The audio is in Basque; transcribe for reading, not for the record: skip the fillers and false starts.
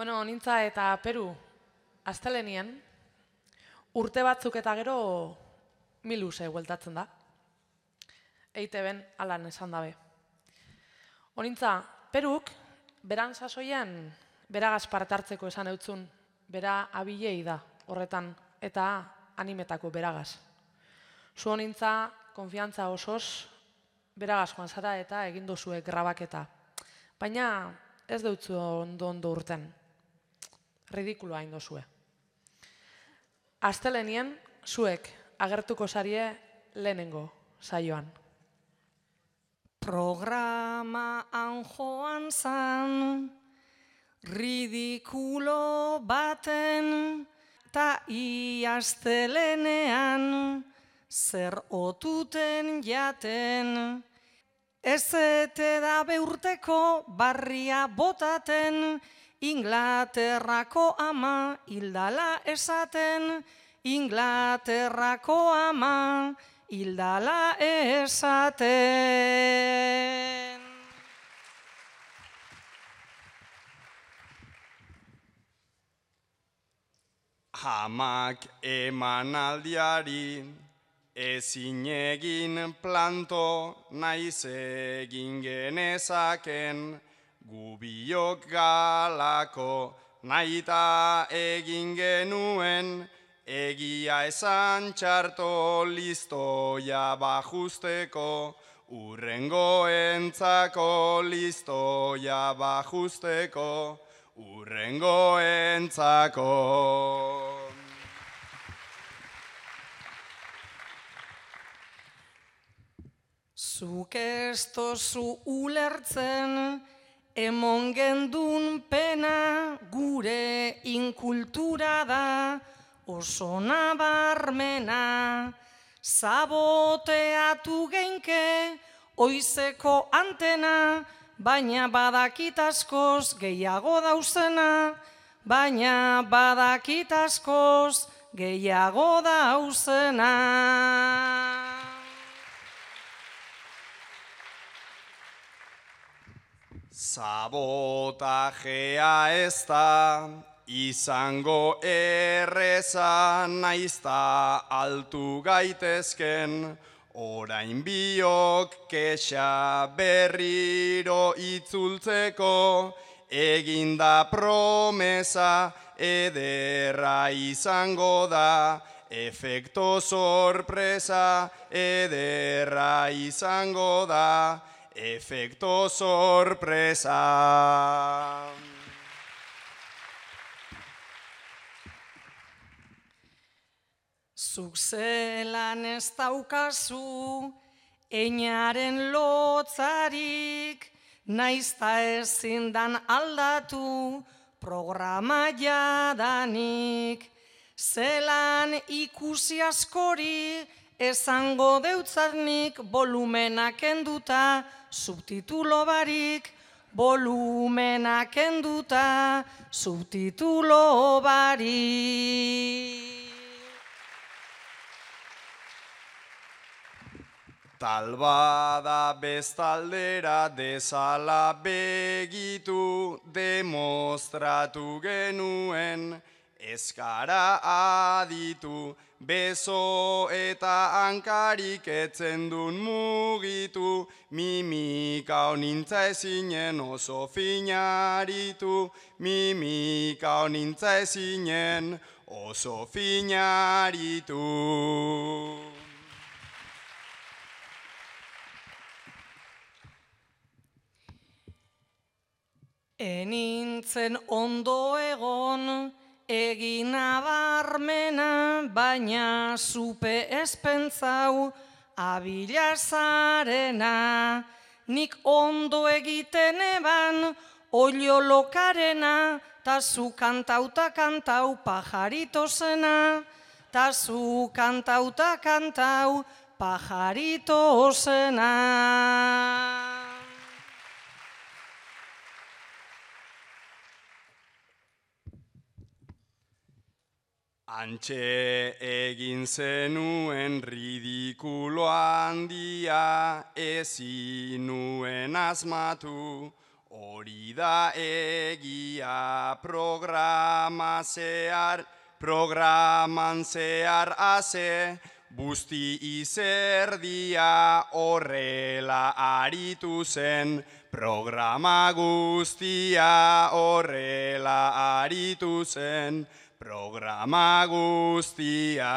Bueno, nintza eta Peru aztelenien urte batzuk eta gero miluse bueltatzen da. EITB-en alan esan dabe. Honintza, Peruk beran sasoian beragaz parte hartzeko esan eutzun, bera abilei da horretan eta animetako beragaz. Zu honintza, konfiantza osoz, beragaz joan zara eta egin dozue grabaketa. Baina ez deutzu ondo urten. Ridikuloa hain dozue. Aztelenien, zuek agertuko zarie lehenengo saioan. Programaan joan zan, ridikulo baten, ta iaztelenean, zer otuten jaten. Ez ete da beurteko barria botaten, Inglaterrako ama hildala esaten, Inglaterrako ama hildala esaten. Amak emanaldiari ezin egin planto, naiz egin genezaken, gubiok galako nahita egin genuen, egia esan txarto listoia bajusteko, urrengoentzako listoia bajusteko, urrengoentzako. Zuk ez tozu ulertzen, emon gendun pena, gure inkultura da, oso nabarmena. Saboteatu geinke, oizeko antena, baina badakit askoz gehiago dauzena, baina badakit askoz gehiago dauzena. Sabotajea ez da izango erreza, naizta altu gaitezken, orain biok kexa berriro itzultzeko, eginda promesa ederra izango da, efekto sorpresa ederra izango da, efekto sorpresa. Zuk zelan ez daukazu, einaren lotzarik, naizta ezin dan aldatu, programa jadanik. Zelan ikusi askori, esango deutzarnik, volumenak enduta, subtitulo barik, volumenak enduta, subtitulo barik. Tal bada bestaldera dezala begitu, demostratu genuen, eskara aditu, beso eta hankarik etzen dun mugitu, mimika honintza ezinen oso finaritu, mimika honintza ezinen oso finaritu. Enintzen ondo egon, egin abarmena, baina zupe espentzau abila zarena. Nik ondo egiten eban, olio lokarena, ta zu kantauta kantau pajarito zena, ta zu kantauta kantau pajarito zena. Antxe egin zenuen ridikulo handia, ezin nuen asmatu, Hori da egia programan zehar aze, busti izerdia horrela aritu zen, programa guztia horrela aritu zen, programa guztia.